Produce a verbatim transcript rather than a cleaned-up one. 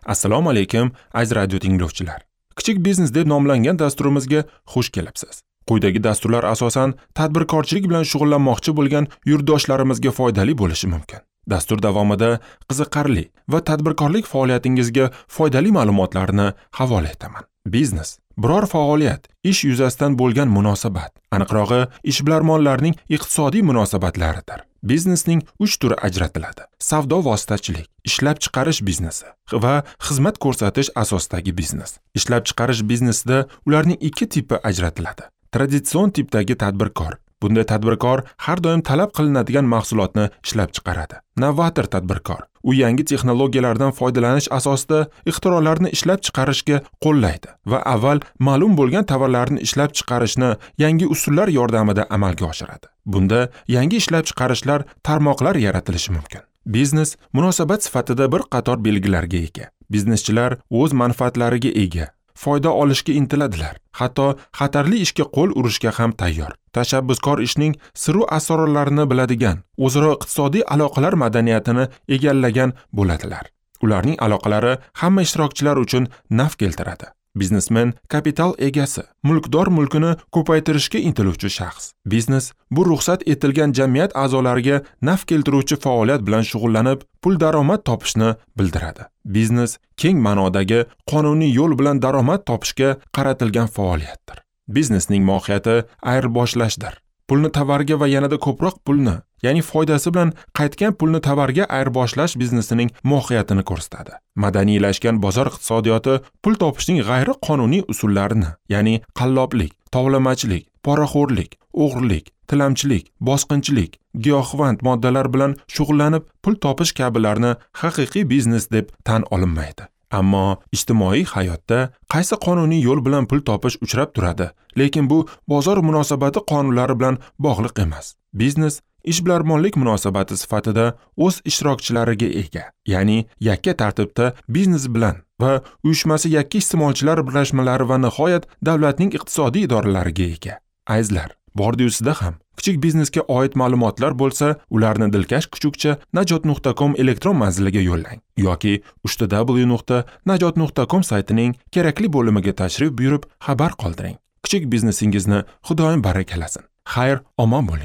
Assalomu alaykum, aziz radio tinglovchilar. Kichik biznes deb nomlangan dasturimizga xush kelibsiz. Quyidagi dasturlar asosan tadbirkorchilik bilan shug'ullanmoqchi bo'lgan yurtdoshlarimizga foydali bo'lishi mumkin. Dastur davomida qiziqarli va tadbirkorlik faoliyatingizga foydali ma'lumotlarni havola etaman. Biznes biror faoliyat, ish yuzasidan bo'lgan munosabat, aniqrog'i ishbilarmonlarning iqtisodiy munosabatlaridir. Biznesning uch turi ajratiladi: savdo vositachilik, ishlab chiqarish biznesi va xizmat ko'rsatish asosidagi biznes. Ishlab chiqarish biznesida ularning ikki tipi ajratiladi. Traditsion tipdagi tadbirkor. Bunday tadbirkor har doim talab qilinadigan mahsulotni ishlab chiqaradi. Novator tadbirkor. U yangi texnologiyalardan foydalanish asosida ixtirolarni ishlab chiqarishga qo'llaydi va avval ma'lum bo'lgan tovarlarni ishlab chiqarishni yangi usullar yordamida amalga oshiradi. Bunda yangi ishlab chiqarishlar, tarmoqlar yaratilishi mumkin. Biznes munosabat sifatida bir qator belgilarga ega. Bizneschilar o'z manfaatlariga ega, foyda olishga intiladilar, hatto xatarli ishga qo'l urishga ham tayyor. Tashabbuskor ishning siru asrorlarini biladigan, o'zaro iqtisodiy aloqalar madaniyatini egallagan bo'ladilar. Ularning aloqalari hamma ishtirokchilar uchun naf keltiradi. Biznesmen kapital egasi, mulkdor mulkini ko'paytirishga intiluvchi shaxs. Biznes bu ruxsat etilgan jamiyat a'zolariga naf keltiruvchi faoliyat bilan shug'ullanib, pul daromad topishni bildiradi. Biznes keng ma'nodagi qonuniy yo'l bilan daromad topishga qaratilgan faoliyatdir. Biznesning mohiyati ayirboshlashdir. Pulni tovarga va yanada ko'proq pulni, ya'ni foydasi bilan qaytgan pulni tovarga ayirboshlash biznesining mohiyatini ko'rsatadi. Madaniylashgan bozor iqtisodiyoti pul topishning g'ayriqonuniy usullarini, ya'ni qalloblik, tovlamachilik, poraxo'rlik, o'g'rilik, tilamchilik, bosqinchilik, giyohvand moddalar bilan shug'ullanib pul topish kabilarni haqiqiy biznes deb tan olinmaydi. Ammo ijtimoiy hayotda qaysi qonuniy yo'l bilan pul topish uchrab turadi, lekin bu bozor munosabati qonunlari bilan bog'liq emas. Biznes ishbilarmonlik munosabati sifatida o'z ishtirokchilariga ega, ya'ni yakka tartibda biznes bilan va uyushmasi yakka iste'molchilar birlashmalari va nihoyat davlatning iqtisodiy idoralariga ega. Azizlar, bordi-yusida ham kichik biznesga oid ma'lumotlar bo'lsa, ularni dilkash kuchukcha najot nuqta com elektron manziliga yo'llang yoki uch w nuqta najot nuqta com saytining kerakli bo'limiga tashrif buyurib xabar qoldiring. Kichik biznesingizni Xudoyim barakalasin. Xayr, omon bo'ling.